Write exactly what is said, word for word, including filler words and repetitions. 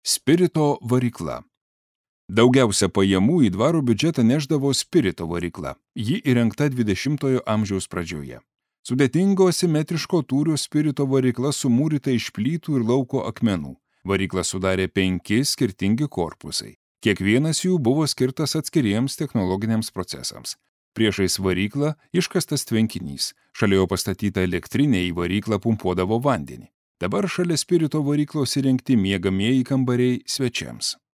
Spirito varykla. Daugiausia pajamų į dvaro biudžetą neždavo spirito varykla. Ji įrengta dvidešimtojo amžiaus pradžioje. Sudėtingo simetriško tūrio spirito varykla sumūryta iš plytų ir lauko akmenų. Varyklą sudarė penki skirtingi korpusai. Kiekvienas jų buvo skirtas atskiriems technologiniams procesams. Priešais varyklą iškastas tvenkinys. Šalia jo pastatyta elektrinė, į varyklą pumpuodavo vandenį. Dabar šalia spirito varyklos įrengti miegamieji kambariai svečiams.